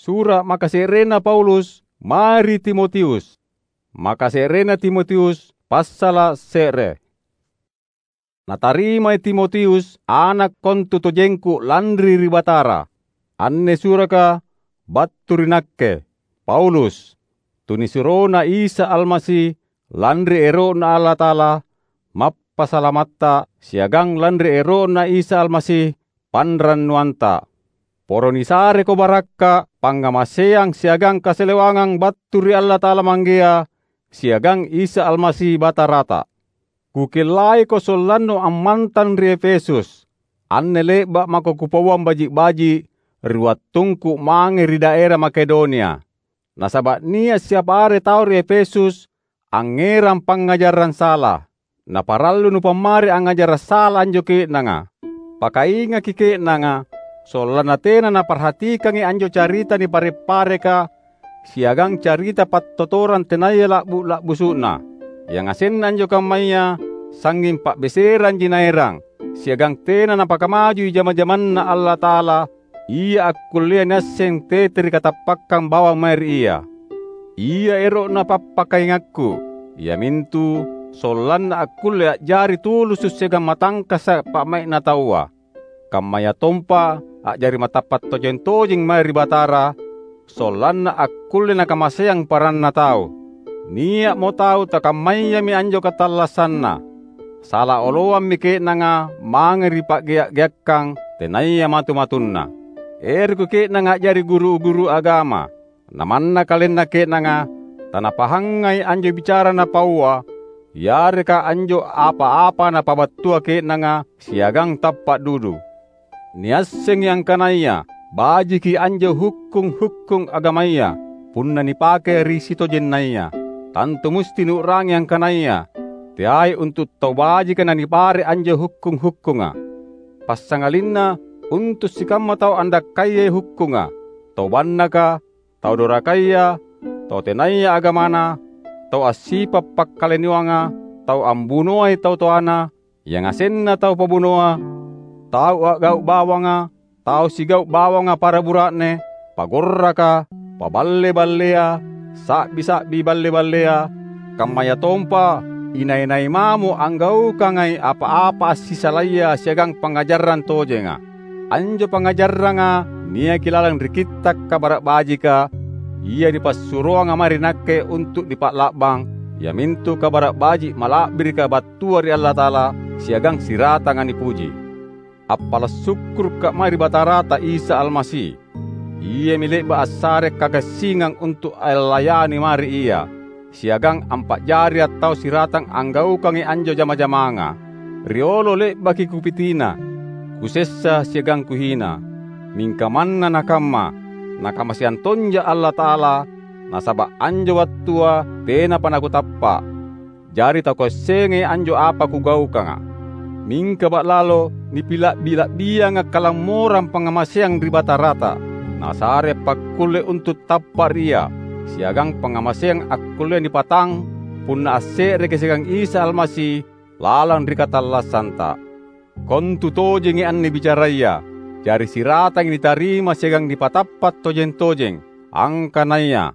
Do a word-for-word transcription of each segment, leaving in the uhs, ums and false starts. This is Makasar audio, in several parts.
Sura’ makase'rena Paulus mae ri Timotius. Makase'rena Timotius, passala’ se're. Natarimai Timotius, ana’ kontutojengku lanri ri Batara. Anne suraka battu ri nakke, Paulus, tunisuroNa Isa Almasi, lanri ero'Na Allata'ala, Mappasalamatta, siagang lanri ero'Na Isa Almasi, panrannuanta. Poro nisareko barakka’, pangngamaseang siagang kasalewangang battu ri Allata'ala Manggea siagang Isa Almasi Batarata. Kukellaiko sollannu ammantang ri Efesus. Anne le'ba’ mako kupauang baji’-baji’ ri wattungku mange ri daera Makedonia. Nasaba’ nia’ siapa are tau ri Efesus angngerang pangngajarang sala. Naparallu nupammari angngajara’ sala anjo ke'nanga. Pakaingaki ke'nanga, sollanna tena naparhatikangi anjo carita nipare’-pareka siagang carita pattotorang tenaya la'bu’-la'busu'na. Yangasenna anjo kammaya sangnging pa'beseranji naerang, siagang tena napakamajui jama-jamanNa Allata'ala, Ia akkullea niasseng tete ri katappakkang bawang mae ri Ia. Ia ero'na pappakaingakku, iamintu sollanna akkulle a'jari tulusu’ siagang matangkasa’ pa'mai'na taua. Kammayatompa a'jari matappa’ tojeng-tojeng mae ri Batara, sollanna akkulle nakamaseang paranna tau. Nia'mo tau takammayami anjo katallassanna. Sala oloammi ke'nanga mange ri pa'gea’-geakkang tenaya matu-matunna. Erokko ke'nanga a'jari guru-guru agama. Na manna kalenna ke'nanga tanapahangai anjo bicara napaua, yareka anjo apa-apa napabattua ke'nanga siagang tappa’ dudu. Niassengi angkanaya bajiki anjo hukkung-hukkung agamaya punna nipake ri sitojennaya. Tantu musti nuu'rangi angkanaya teai untu’ tau bajika nanipare’ anjo hukkung-hukkunga. Passangalinna untu’ sikamma tau andakkayai hukkunga, tau bannaka, tau dorakaya, tau tenaya agamana, tau assipa’ pakkalinoanga, tau ambunoai tau toana, yangasenna tau pabunoa, tau a'gau’ bawanga, tau sigau’ bawanga para bura'ne, pagorraka, paballe-ballea, sa'bi-sa'bi balle-ballea, kammayatompa inai-nai mamo anggaukangai apa-apa assisalaya siagang pangngajarang tojenga. Anjo pangngajarranga niaki lalang ri Kitta’ Kabara’ Bajika, ia nipassuroanga mae ri nakke untu’ nipa'la'bang, iamintu Kabara’ Baji’ mala'birika battua ri Allata'ala siagang siratanga nipuji. Appala’ sukkuruka’ mae ri Batarata Isa Almasi. Iami le'ba’ assare kagassingang untu’ allayani mae ri Ia, siagang ampa'jaria’ tau siratang anggaukangi anjo jama-jamanga. Riolo le'baki kupitina, kusessa siagang kuhina. Mingka manna nakamma, Nakamaseang tonja Allata'ala, nasaba’ anjo wattua tenapa nakutappa’. Jari takuassengai anjo apa kugaukanga. Mingka ba'lalo nipila'bi-la'bianga’ kalammorang pangngamaseang ri Batarata, Nasare appakkulle untu’ tappa’ ri Ia, siagang pangngamaseang akkullea nipatang punna asse'reki siagang Isa Almasi lalang ri katallassanta. Kontu tojengi anne bicaraya, jari siratangi nitarima siagang nipatappa’ tojeng-tojeng, angkanaya,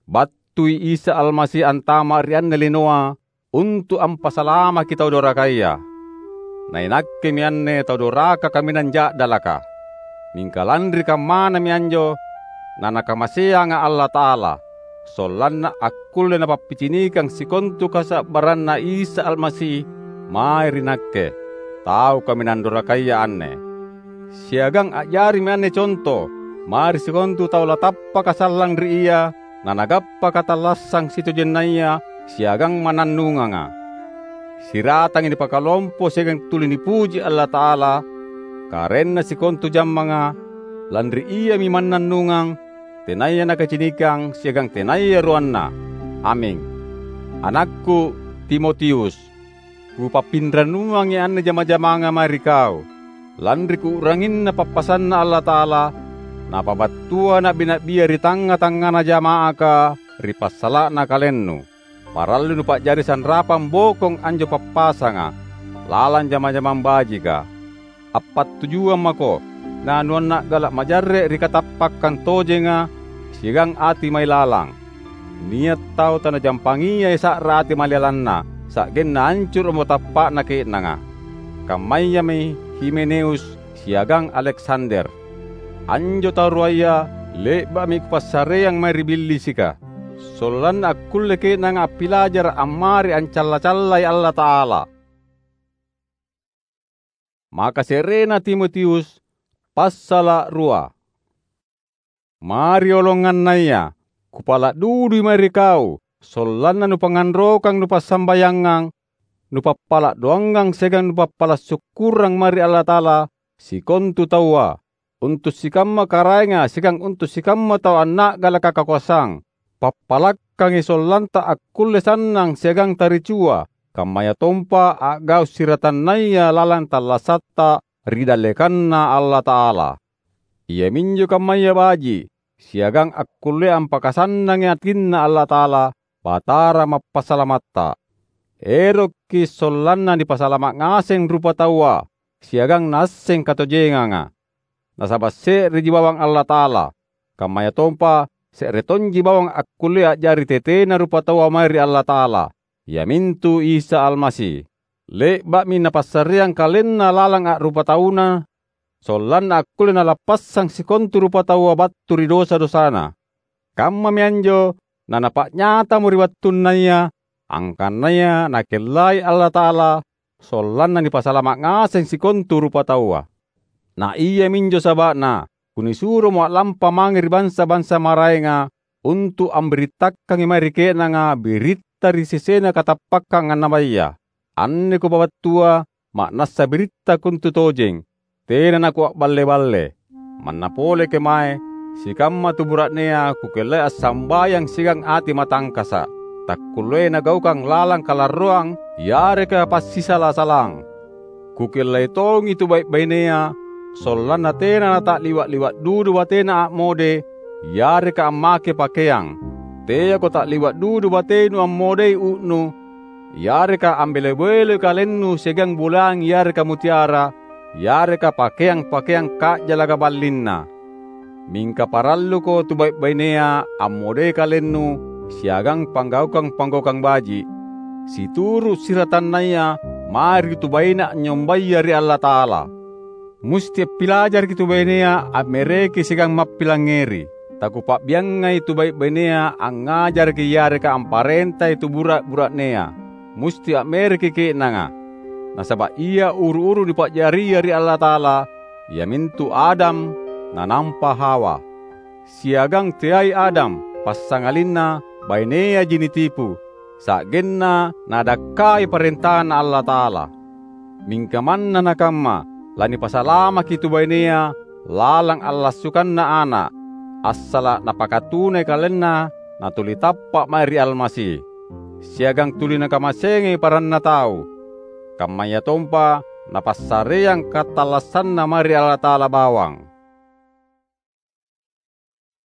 Battui Isa Almasi antama’ ri anne linoa untu’ ampasalamaki tau dorakaya. Na inakkemi anne tau doraka kaminang ja'dalaka. Mingka lanri kammanami anjo, naNakamaseanga’ Allata'ala, sollanna akkulle Napappicinikang sikontu kasa'barranNa Isa Almasi mae ri nakke, tau kaminang dorakaya anne. Siagang a'jarimi anne conto mae ri sikontu tau latappaka sallang ri Ia nanagappa katallassang sitojennaya siagang mannannunganga. Siratangi nipakalompo siagang tuli nipuji Allata'ala, Karaenna sikontu jammanga, lanri Iami mannannungang, tenaya nakacinikang siagang tenaya ruanna. Aming. Anakku Timotius, kupappinrannuangi anne jama-jamanga mae ri kau, lanri kuu'ranginna pappasanNa Allata'ala, Napabattua na'bi-na'bia ri tangnga-tangngana jama'aka ri passala'na kalennu. Parallui nupa'jari sanrapang bokong anjo pappasanga lalang jama-jamang bajika. Appattujuang mako, nanuanna'gala’ majarre’ ri katappakkang tojenga, siagang ati mailalang. Nia’ tau tanajampangiai sa'ra ati mailalanna, sa'genna ancuro'mo tappa'na ke'nanga. Kammayami Himeneus siagang Aleksander. Anjo tau ruaya le'ba'mi kupassareang mae ri Billisika, sollanna akkulle ke'nanga appilajara’ ammari ancalla-callai Allata'ala. Maka se'rena Timotius, passala’ rua. Mae ri olongannaya, kupala’ dudui mae ri kau, sollanna nupangnganrokang nupassambayangang, nupappala’ doangang siagang nupappala’ sukkurang mae ri Allata'ala sikontu taua, untu’ sikamma karaenga siagang untu’ sikamma tau anna'galaka kakoasang. Pappalakkangi sollanta akkulle sannang siagang taricua, kammayatompa a'gau’ siratannaya lalang tallasatta ri dallekanNa Allata'ala. Iaminjo kammaya baji’, siagang akkullea ampakasannangi atinNa Allata'ala, Batara Mappasalamatta. Erokki’ sollanna nipasalama’ ngaseng rupataua, siagang naasseng katojenganga. Nasaba’ se'reji bawang Allata'ala, kammayatompa se're tonji bawang akkullea a'jari tetena rupataua mae ri Allata'ala, iamintu Isa Almasi. Le'ba'mi Napassareang KalenNa lalang a'rupatauna, sollanna akkulle Nalappassang sikontu rupataua battu ri dosa-dosana. Kammami anjo naNapa'nyatamo ri wattunnaya, angkanaya Nakellai Allata'ala sollanna nipasalama’ ngaseng sikontu rupataua. Na iaminjo saba'na kunisuromo a'lampa mange ri bansa-bansa maraenga untu’ ambirittakangi mae ri ke'nanga biritta ri sesena katappakkang annabaya. Anne kupabattua ma'nassa biritta kontu tojeng, tena nakua'balle-balle. Manna pole kemae, sikamma tu bura'nea kukellai assambayang siagang ati matangkasa’, takkulleai nagaukang lalang kalarroang yareka passisala-salang. Kukellai tongi tu bai’-bainea, sollanna tena nata'liwa’-liwa’ dudu batena a'mode yareka ammake pakeang. Teako ta'liwa’ dudu batenu ammodei u'nu, yareka ambelo-beloi kalennu siagang bulang yareka mutiara, yareka pakeang-pakeang ka'jalaka ballinna. Mingka paralluko tu bai’-bainea ammodei kalennu siagang panggaukang-panggaukang baji’, situru’ siratannaya mae ri tu baine anynyombaya ri Allata'ala. Musti appilajaraki tu bainea ammereki siagang mappilangngeri. Takupa'biangai tu bai’-bainea angngajaraki yareka amparentai tu bura’-bura'nea. Musti a'mereki ke'nanga. Nasaba’ ia uru-uru nipa'jaria ri Allata'ala, iamintu Adam nanampa Hawa. Siagang teai Adam, passangalinna baineaji nitipu, sa'genna nadakkai parentaNa Allata'ala. Mingka manna nakamma, lanipasalamaki tu bainea lalang allassukanna Ana’, assala’ napakatunai kalenna natuli tappa’ mae ri Almasi, siagang tuli nakamaseangi paranna tau, kammayatompa napassareang katallassanna mae ri Allata'ala bawang.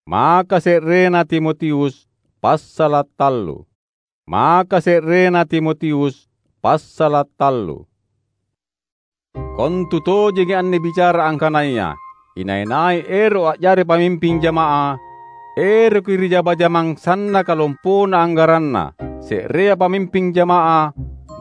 Maka se'rena Timotius, passala’ tallu. Maka se'rena Timotius, passala’ tallu. Kontu tojengi anne bicara angkanaya inai-nai ero’ a'jari pamimping jama'ah, eroki ri jama-jamang sannaka lompona anggaranna. Se'rea pamimping jama'ah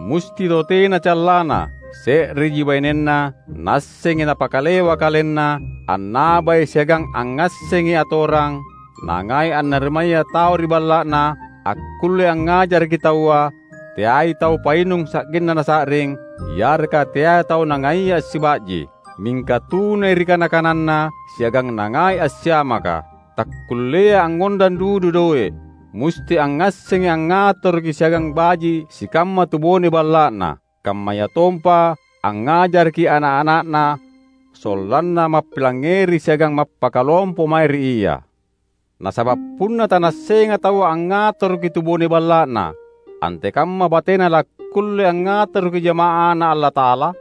musti tau tena callana, se'reji bainenna, naassengi napakalewa kalenna annabai siagang angngassengi atorang, nangai annarimaya tau ri balla'na, akkulle angngajaraki taua, teai tau painung sa'genna nasa'ring, yareka teai tau nangaia assiba'ji, mingka tunai ri kana-kananna siagang nangai assiamaka. Takkulleai angngondang dudu doe’, musti angngassengi angngatoroki siagang baji’ sikamma tu bone balla'na, kammayatompa angngajaraki ana’-ana'na sollanna mappilangngeri siagang mappakalompo mae ri ia. Nasaba’ punna tanaassenga taua angngatoroki tu bone balla'na, antekamma batena lakkulle angngatoroki jama'aNa Allata'ala?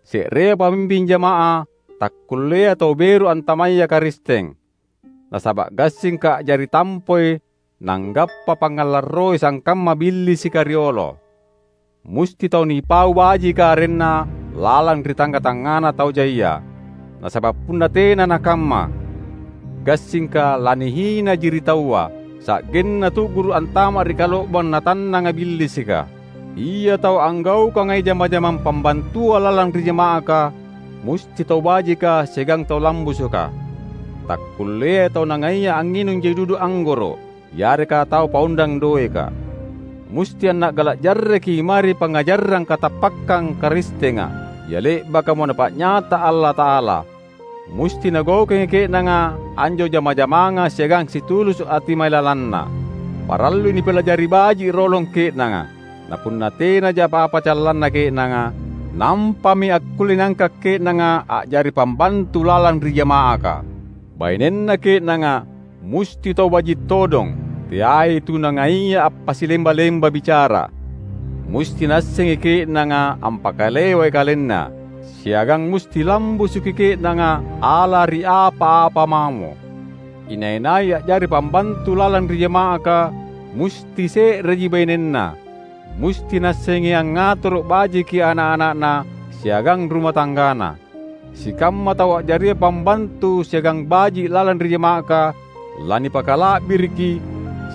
Se'rea pamimping jama'ah takkulleai tau beru antamaya Karisteng. Nasaba’ gassingka a'jari tampoi nanggappa pangngalarroi sangkamma Billisika riolo. Musti tau nipau bajika arenna lalang ri tangnga-tangngana tau jaia. Nasaba’ punna tena nakamma, gassingka lanihinaji ri taua, sa'genna tu'guru’ antama’ ri kalo'bang natannanga Billisika. Ia tau anggaukangai jama-jamang pambantua lalang ri jama'aka, musti tau bajika siagang tau lambusuka. Takkulleai tau nangaia angnginung jai dudu anggoro’, yareka tau paondang doeka. Musti anna'gala’ jarreki mae ri pangngajarang katappakkang Karistenga, ia le'bakamo Napa'nyata Allata'ala. Musti nagaukangi ke'nanga anjo jama-jamanga siagang situlusu’ ati mailalanna. Parallui nipilajari baji’ rolong ke'nanga. Na punna tenaja apa-apa callanna ke'nanga, nampami akkulle niangka’ ke'nanga a'jari pambantu lalang ri jama'aka. Bainenna ke'nanga musti tau baji’ todong, teai tu nangaia appasilemba-lemba bicara. Musti naassengi ke'nanga ampakalewai kalenna, siagang musti lambusuki ke'nanga ala ri apa-apa mamo. Inai-nai a'jari pambantu lalang ri jama'aka musti se'reji bainenna. Musti naassengi angngatoro’ bajiki ana’-ana'na siagang ruma tanggana. Sikamma tau a'jaria pambantu siagang baji’ lalang ri jama'aka lanipakala'biriki,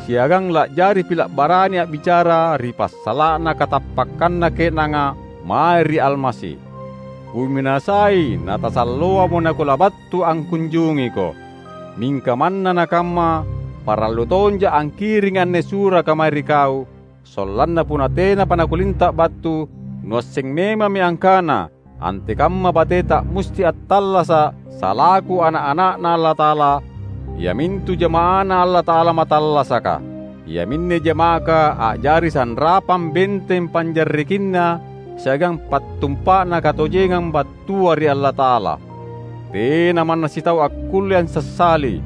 siagang la'jari pila’ barani a'bicara ri passala'na katappakkanna ke'nanga mae ri Almasi. Kuminasai natasalloamo nakulabattu angkunjungiko. Mingka manna nakamma, parallu tonja’ angkiringi anne suraka mae ri kau, sollanna punna tenapa nakulinta’ battu, nuasseng memammi angkana antekamma bateta musti attallasa’ salaku ana’-ana'Na Allata'ala, iamintu jama'aNa Allata'ala matallasaka. Iaminne jama'aka a'jari sanrapang benteng panjarrekinna siagang pattumpa'na katojengang battua ri Allata'ala. Tena manna sitau akkulle ansassali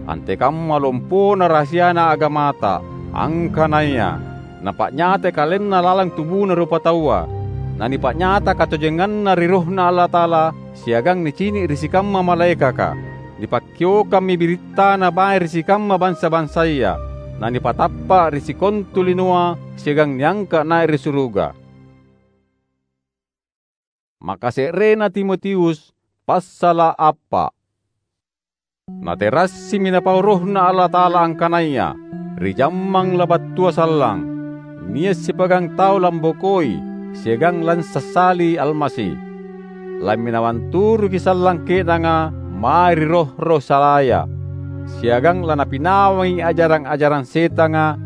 antekamma lompona rahasiana agamata, angkanaya napa'nyatai kalenna lalang tubuna rupataua, nanipa'nyata katojenganna ri RohNa Allata'ala siagang nicini’ ri sikamma malaekaka. Nipakkiokammi birittaNa mae ri sikamma bansa-bansaya, nanipatappa’ ri sikontu linoa siagang niangka’ nai’ ri suruga. Makase'rena Timotius, passala’ appa’. Naterassimi Napau RohNa Allata'ala angkanaya ri jammang labattua sallang, nia’ sipagang tau lambokoi siagang lansassali Almasi. Lamminawang turuki sallang ke'nanga mae ri roh-roh salaya, siagang lanapinawangi ajarang-ajarang setanga,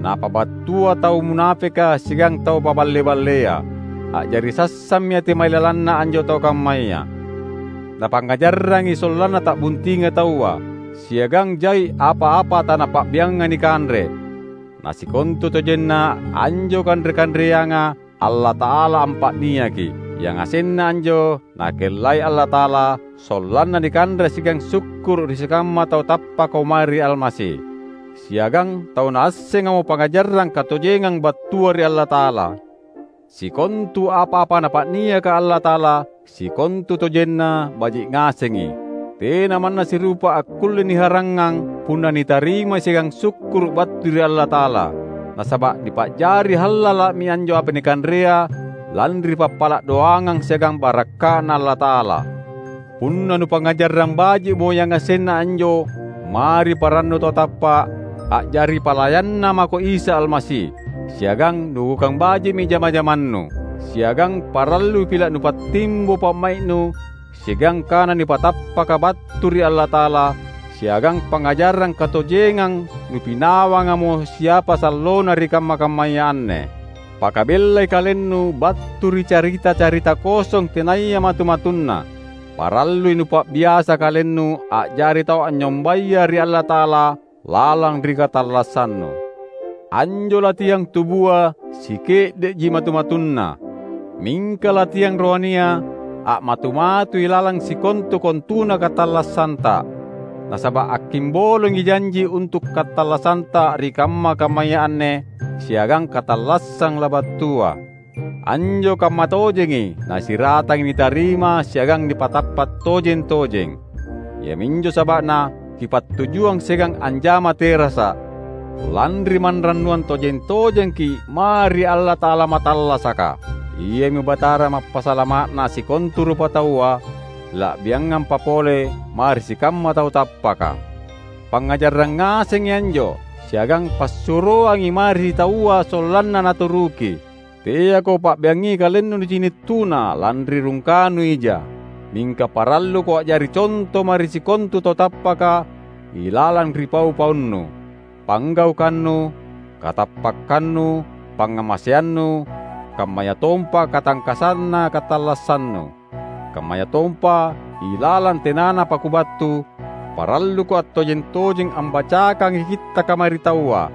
napabattua tau munapeka siagang tau paballe-ballea. A'jari sassammi ati mailalanna anjo tau kammaya. Napangngajarrangi sollanna ta'buntinga taua, siagang jai apa-apa tanapa'biangnga nikanre. Na sikontutojenna anjo kanre-kanreanga Allata'ala ampa'niaki, yangasenna anjo Nakellai Allata'ala sollanna nikanre siagang sukkuru’ ri sikamma tau tappaka mae ri Almasi, siagang tau naassengamo pangngajarang katojengang battua ri Allata'ala. Sikontu apa-apa Napa'niaka Allata'ala, sikontutojenna baji’ ngasengi. Tena manna sirupa akkulle niharangngang punna nitarimai siagang sukkuru’ battu ri Allata'ala, nasaba’ nipa'jari hallala'mi anjo apa nikanrea lanri pappala’ doangang siagang barakka'Na Allata'ala. Punna nupangngajarang baji'mo yangasenna anjo mae ri parannu tau tappa’, a'jari palayanna mako Isa Almasi, siagang nugukang baji'mi jama-jamannu, siagang parallui pila’ nupattimbo pa'mai'nu siagang kana nipatappaka battu ri Allata'ala, siagang pangngajarang katojengang nupinawangamo siapa sallona ri kamma-kammaya anne. Pakabellai kalennu battu ri carita-carita kosong tenaya matu-matunna. Parallui nupa'biasa kalennu a'jari tau anynyombaya ri Allata'ala lalang ri katallassannu. Anjo latiang tubua sike'de'ji matu-matunna, mingka latiang rohania a'matu-matui lalang sikontu-kontuna katallassanta. Nasaba’ akkimbolongi janji untu’ katallasanta ri kamma-kammaya anne siagang katallassang labattua. Anjo kamma tojengi nasiratangi nitarima siagang nipatappa’ tojeng-tojeng. Iaminjo saba'na kipattujuang siagang anjama terasa’, lanri manrannuang tojeng-tojengki’ mae ri Allata'ala matallasaka. Iami Batara Mappasalama'na sikontu rupataua, la'biangampa pole mae ri sikamma tau tappaka. Pangngajarrang ngasengi anjo, siagang passuroangi mae ri taua sollanna naturuki. Teako pa'beangi kalennu nicini’ tuna lanri rungkanu ija, mingka paralluko a'jari conto mae ri sikontu tau tappaka ilalang ri pau-paunnu, panggaukannu, katappakkannu, pangngamaseannu, kammayatompa katangkasanna katallassannu. Kammayatompa, ilalang tenanapa kubattu, paralluko attojeng-tojeng ambacakangi Kittaka mae ri taua,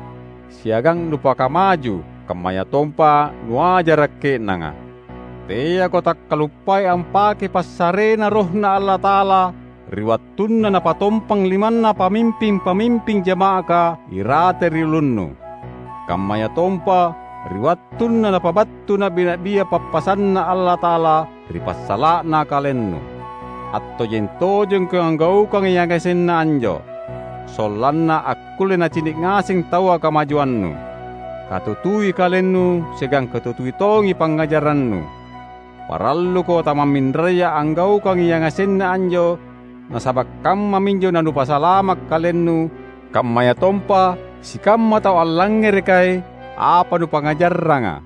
siagang nupakamaju, kammayatompa nuajara’ ke'nanga. Teako takkaluppai ampakei passarena RohNa Allata'ala ri wattunna Napatompang limanna pamimping-pamimping jama'aka irate ri ulunnu. Kammayatompa ri wattunna Napabattu na'bi-na'bia pappasanNa Allata'ala ri passala'na kalennu. Attojeng-tojengko anggaukangi yangasenna anjo, sollanna akkulle nacini’ ngaseng taua kamajuannu. Katutui kalennu siagang katutui tongi pangngajarannu. Paralluko tamamminraya anggaukangi yangasenna anjo, nasaba’ kammaminjo nanupasalama’ kalennu, kammayatompa sikamma tau allangngerekai apa nupangngajarranga.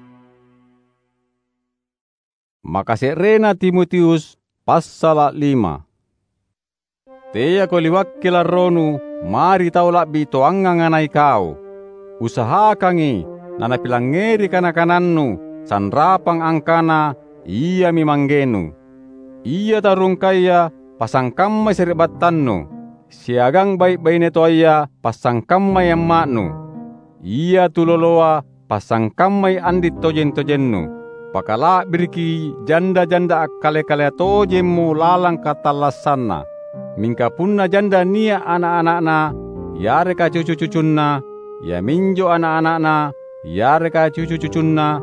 Makase'rena Timotius, passala’ lima. Teako liwakki larronu mae ri tau la'bi toangang na ikau. Usahakangi nanapilangngeri kana-kanannu sanrapang angkana iami manggenu. Ia tau rungkaya passangkammai sari'battannu, siagang bai’-baine toaya passangkammai amma'nu. Ia tuloloa passangkammai andi’ tojeng-tojennu. Pakala'biriki janda-janda akkale-kalea tojemmo lalang katallassanna. Mingka punna janda nia’ ana’-ana'na yareka cucu-cucunna, iaminjo ana’-ana'na yareka cucu-cucunna,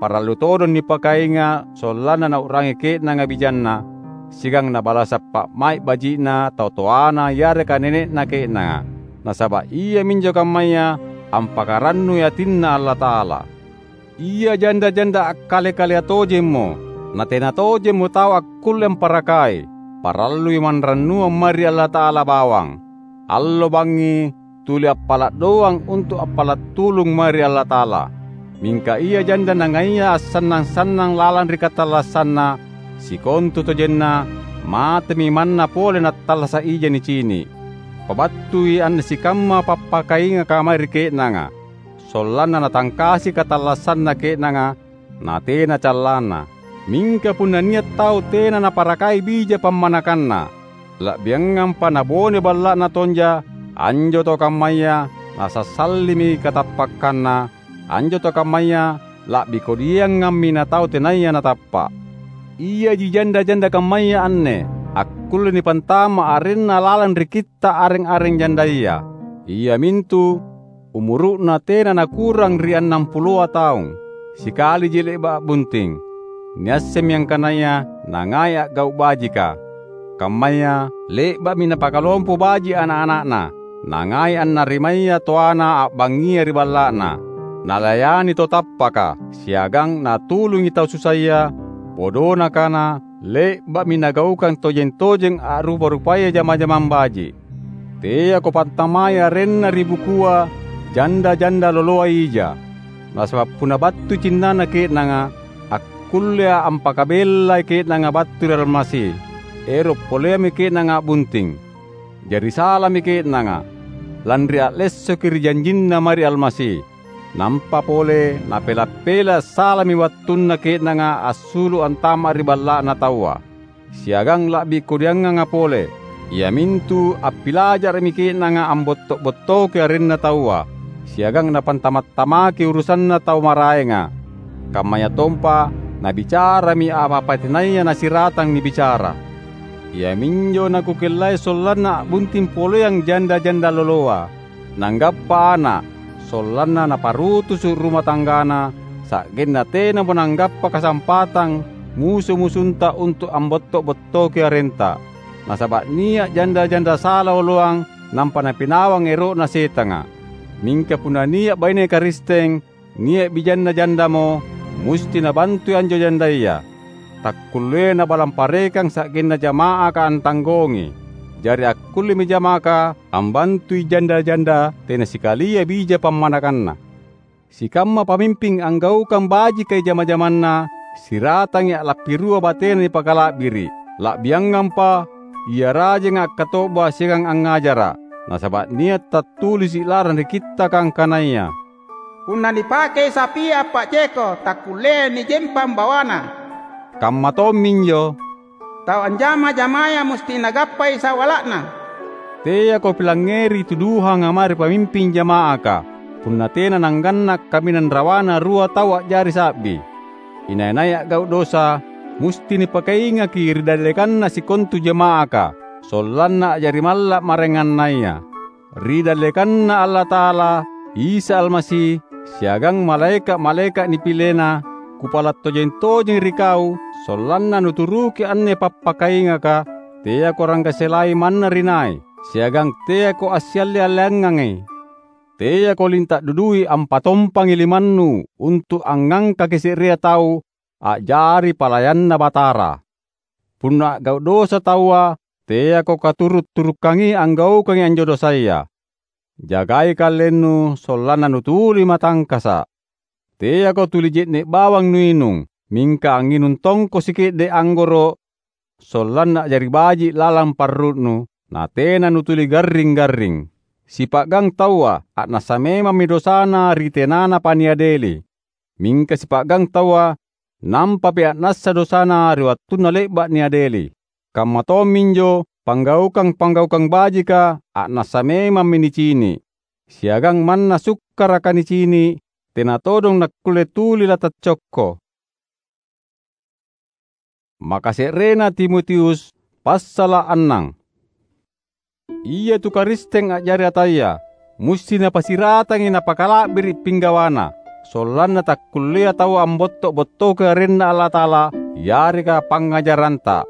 parallu todong nipakainga’ sollanna nau'rangi ke'nanga bijanna, siagang nabalasa’ pa'mai’ baji'na tau toana yareka nene'na ke'nanga. Nasaba’ iaminjo kammaya ampakarannui atinNa Allata'ala. Ia janda-janda akkale-kalea tojemmo, na tena tojemmo tau akkulle amparakai, parallui manrannuang mae ri Allata'ala bawang. Allo bangngi tuli appala’ doang untu’ appala’ tulung mae ri Allata'ala. Mingka ia janda nangaia assannang-sannang lalang ri katallassanna, sikontutojenna matemi manna pole nattallasa’ ija nicini’. Pabattui anne sikamma pappakaingaka mae ri ke'nanga, sollanna natangkasi katallassanna ke'nanga, natena callanna. Mingka punna nia’ tau tena naparakai bija pammanakanna, la'biangampa nabone balla'na tonja, anjo tau kammaya nasassallimi katappakkanna, anjo tau kammaya la'bi kodiangammi natau tenaya natappa’. Iaji janda-janda kammaya anne akkulle nipantama’ arenna lalang ri kitta’ areng-areng jandaya, iamintu umuru'na tena nakurang ri annampuloa taung, sikaliji le'ba’ a'bunting. Niassemmi angkanaya nangai a'gau’ bajika. Kammaya, le'ba'mi napakalompo baji’ ana’-ana'na, nangai annarimaya toana a'bangngia ri balla'na. Nalayani tau tappaka, siagang natulungi tau susaya, bodona kana, le'ba'mi nagaukang tojeng-tojeng a'rupa-rupaya jama-jamang baji’. Teako pantamai arenna ri bukua janda-janda loloa ija. Nasaba’ punna battui cinnana ke'nanga, akkullea’ ampakabellai ke'nanga battu ri Almasi. Ero’ poleammi ke'nanga a'bunting. Jari salami ke'nanga, lanri a'lessoki ri janjinna mae ri Almasi. Nampa pole napela’-pela’ salami wattunna ke'nanga assulu’ antama’ ri balla'na taua. Siagang la'bi kodianganga pole, iamintu appilajara'mi ke'nanga ambotto’-bottoki arenna taua, siagang napantama’-tamaki urusanna tau maraenga. Kammayatompa nabicarami apa-apa tenaya nasiratang nibicara. Iaminjo nakukellai sollanna a'bunting poleang janda-janda loloa. Nanggappa ana’, sollanna naparutusu’ ruma tanggana, sa'genna tenamo nanggappa kasampatang musu-musunta untu’ ambotto’-bottoki arenta. Nasaba’ nia’ janda-janda sala oloang nampa napinawang ero'na setanga. Mingka punna nia’ baine Karisteng, nia’ bijanna jandamo, musti nabantui anjo jandaya. Takkulleai nabalang parekang sa'genna jama'aka antanggongi. Jari akkullemi jamaka ambantui janda-janda tena sikalia bija pammanakanna. Sikamma pamimping anggaukang bajikai jama-jamanna, siratangi a'lappirua batena nipakala'biri’, la'biangampa ia rajanga akkato'ba siagang angngajara’. Nasaba’ nia’ tattulisi’ lalang ri Kittaka angkanaya, "Punna nipakei sapia appa'jeko, takkulleai nijempang bawana." Kamma tomminjo, "Tau anjama-jamaya musti nagappai sawala'na." Teako pilangngeri tuduhanga mae ri pamimping jama'aka, punna tena nangganna’ kaminang rawana rua tau a'jari sa'bi. Inai-nai a'gau’ dosa, musti nipakaingaki ri dallekanna sikontu jama'aka, sollanna a'jari malla’ maraengannaya. Ri dallekanNa Allata'ala, Isa Almasi, siagang malaeka’-malaeka’ nipileNa, kupala’ tojeng-tojeng ri kau, sollanna nuturuki anne pappakaingaka, teako ranggaselai manna ri nai, siagang teako assialle-alleangangi. Teako linta’ dudui ampatompangi limannu untu’ angngangkaki se'rea tau a'jari palayanNa Batara. Punna a'gau’ dosa taua, teako katuru’-turukkangi anggaukangi anjo dosaya. Jagai kalennu sollanna nutuli matangkasa’. Teako tuli je'ne’ bawang nuinung, mingka angnginung tongko sike'de’ anggoro’, sollanna a'jari baji’ lalang parru'nu, natena nutuli garring-garring. Sipa'gang taua a'nassa memammi dosana ri tenanapa niadeli. Mingka sipa'gang taua nampapi a'nassa dosana ri wattunna le'ba’ niadeli. Kamma tomminjo panggaukang-panggaukang bajika a'nassa memammi nicini’. Siagang manna sukkaraka nicini’, tena todong nakkulle tuli lataccokko. Makase'rena Timotius, passala’ annang. Ia tu Karisteng a'jari ataya, musti napasiratangi napakala'biri’ pinggawana, sollanna takkulleai taua ambotto’-bottoki arenNa Allata'ala yareka pangngajaranta.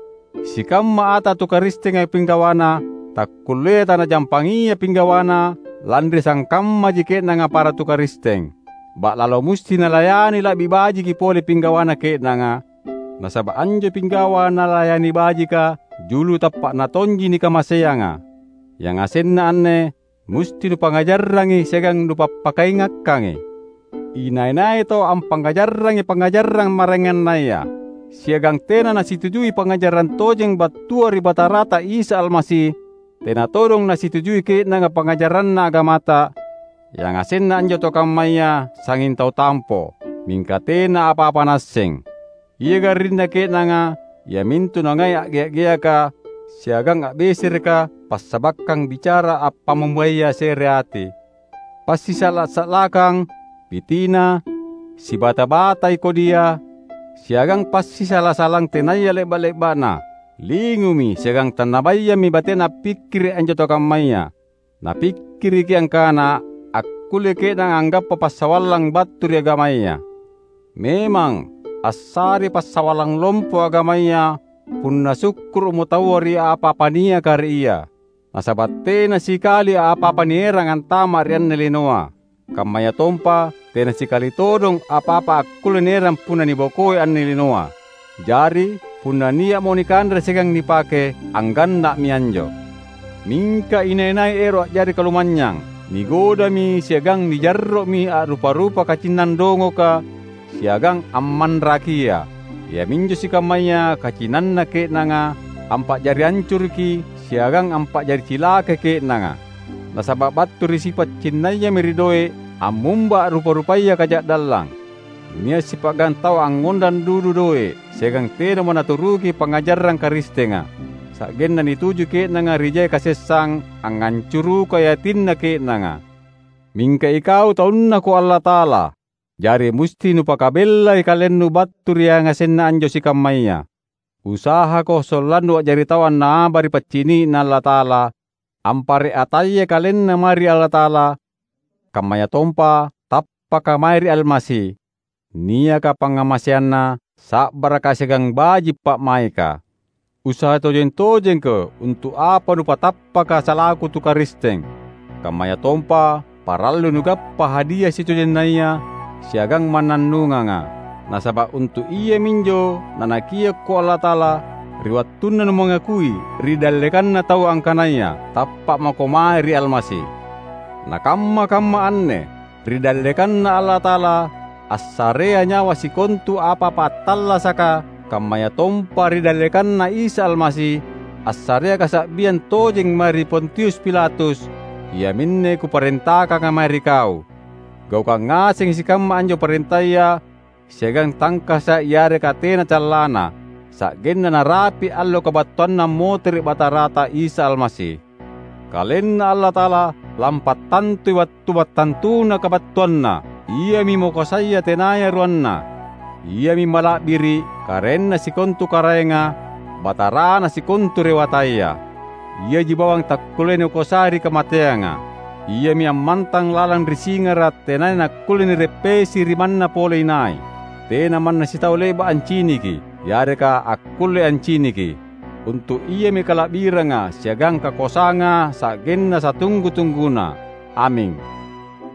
Sikamma ata tu Karistenga pinggawana takkulleai tanajampangia pinggawana, lanri sangkammaji ke'nanga para tu Karisteng. Ba'lalo musti nalayani la'bi bajiki pole pinggawana ke'nanga, nasaba’ anjo pinggawa nalayani bajika julu tappa'na tonji nikamaseanga. Yangasenna anne musti nupangngajarrangi siagang nupappakaingakkangi. Inai-nai tau ampangngajarrangi pangngajarang maraengannaya, siagang tena nasitujui pangngajarang tojeng battua ri Batarata Isa Almasi, tena todong nasitujui ke'nanga pangngajaranna agamata, yangasenna anjo tau kammaya sangnging tau tampo, mingka tena apa-apa naasseng. Ia garrinna ke'nanga, iamintu nangai a'gea’-geaka siagang a'besereka passabakkang bicara appammumbaya se're ati, passisa'la’-sa'lakang, pitina, sibata-batai kodia, siagang passisala-salang tenaya le'ba’-le'ba'na. Lingumi siagang tannabayammi batena appikkiri’ anjo tau kammaya. Napikkiriki angkana akkulle ke'nanga anggappa passawallang battu ri agamaya. Memang, assarei passawallang lompo agamaya punna sukkuru'mo taua ri apa-apa niaka ri ia. Nasaba’ tena sikali apa-apa nierang antama’ ri anne linoa, kammayatompa tena sikali todong apa-apa akkulle nierang punna nibokoi anne linoa. Jari, punna nia'mo nikanre siagang nipake, angganna'mi anjo. Mingka inai-nai ero’ a'jari kalumanynyang, nigodami siagang nijarro'mi a'rupa-rupa kacinnang dongoka siagang ammanrakia, iaminjo sikammaya kacinanna ke'nanga ampa'jari ancuruki siagang ampa'jari cilakai ke'nanga. Nasaba’ battu ri sipa’ cinnayami ri doe’ ammumba a'rupa-rupaya kaja'dallang. Nia’ sipa'gang tau angngondang dudu doe’ siagang tenamo naturuki pangngajarang Karistenga, sa'genna nituju ke'nanga ri jai kasessang angngancurukai atinna ke'nanga. Mingka ikau taunnako Allata'ala, jari musti nupakabellai kalennu battu ri yangasenna anjo sikammaya. Usahako sollannu a'jari tau annaaba ri paccini'na Allata'ala, ampare’ ataya kalenna mae ri Allata'ala, kammayatompa tappaka mae ri Almasi, niaka pangngamaseanNa sa'baraka siagang baji’ pa'maika. Usaha tojeng-tojengko untu’ apa nupatappaka salaku tu Karisteng, kammayatompa parallui nugappa hadia sitojennaya siagang mannannunganga. Nasaba’ untu’ iaminjo naNakiokko Allata'ala, ri wattunna numangakui ri dallekanna taua angkanaya tappa’ mako mae ri Almasi. Na kamma-kamma anne, ri dallekanNa Allata'ala, assarea nyawa sikontu apa-apa attallasaka, kammayatompa ri dallekanNa Isa Almasi, assarea kasa'biang tojeng mae ri Pontius Pilatus, iaminne kuparentakanga mae ri kau. Gaukang ngasengi sikamma anjo parentaya, siagang tangkasa’ yareka tena callana, sa'genna narapi’ allo kabattuanna ammotere’ Batarata Isa Almasi. KalenNa Allata'ala lampattantui wattu mattantuna kabattuanNa, Iami makoasaya tenaya ruanna. Iami mala'biri’, Karaenna sikontu karaenga, Batarana sikontu rewataya. Iaji bawang takkullea nikoasai ri kamateanga. Iami ammantang lalang ri singara’ tenaya nakkulle nireppesi ri manna pole inai. Tena manna sitau le'ba’ anciniki, yareka akkulle anciniki. Untu’ Iami kala'biranga siagang kakoasanga sa'genna satunggu-tungguna. Aming.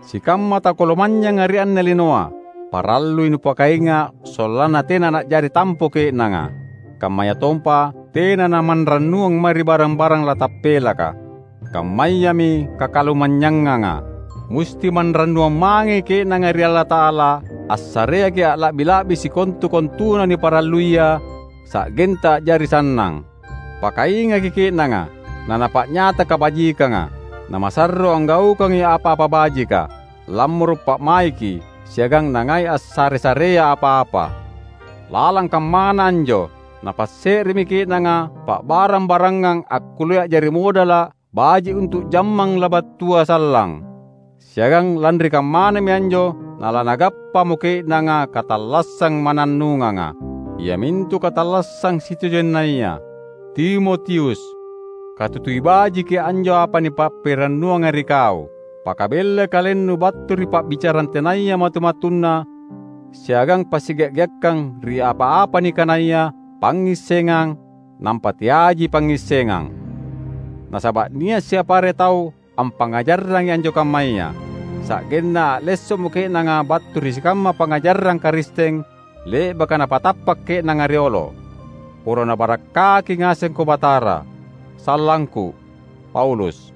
Sikamma tau kalumanynyanga ri anne linoa, parallui nupakainga’ sollanna tena na'jari tampo ke'nanga. Kammayatompa tena namanrannuang mae ri barang-barang latappelaka. Kammayami kakalumannyanganga. Musti manrannuang mangei ke'nanga ri Allata'ala, assareaki a'la'bi-la'bi sikontu-kontuna niparalluia, sa'genta a'jari sannang. Pakaingaki ke'nanga, nanapa'nyata kabajikanga, namasarro anggaukangi apa-apa bajika, lammoro’ pa'maiki, siagang nangai assare-sarea apa-apa. Lalang kammana anjo, napasse'remi ke'nanga pa'barang-barangang akkullea a'jari modala’ baji’ untu’ jammang labattua sallang. Siagang lanri kammanami anjo nalanagappamo ke'nanga katallassang mannannunganga, iamintu katallassang sitojennaya. Timotius, katutui bajiki anjo apa nipappirannuanga ri kau. Pakabellai kalennu battu ri pa'bicarang tenaya matu-matunna, siagang passiga’-giakkang ri apa-apa nikanaya pangngissengang, nampa teaiji pangngissengang. Nasaba’ nia’ siapare tau ampangngajarrangi anjo kammaya, sa'genna a'lesso'mo ke'nanga battu ri sikamma pangngajarang Karisteng le'baka napatappa’ ke'nanga riolo. Poro Nabarakkaki ngasengko Batara. Sallangku, Paulus.